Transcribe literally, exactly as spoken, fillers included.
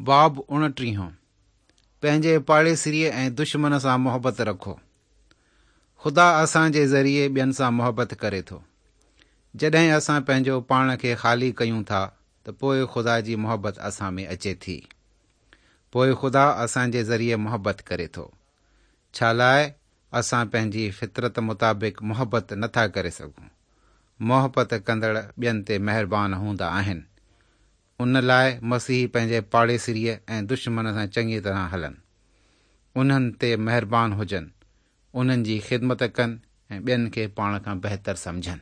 باب اڻٽيهون پنهنجي پاڙيسريء ۽ دشمن سان محبت رکو. خدا اسان جي ذريعي ٻين سان محبت ڪري ٿو. جڏهن اسان پنهنجو پاڻ کي خالي ڪيون ٿا ته پوء خدا جي محبت اسان ۾ اچي ٿي. پوء خدا اسان جي ذريعي محبت ڪري ٿو. ڇا لاء اسان پنهنجي فطرت مطابق محبت نٿا ڪري سگهون. محبت ڪندڙ ٻين تي مهربان هوندا آهن. ان لاءِ مسيحي پنهنجي پاڙيسريء ۽ دشمن سان چڱي طرح هلن. انهن تي مهربان هجن، انهن جي خدمت ڪن ۽ ٻين کي پاڻ کان بهتر سمجهن.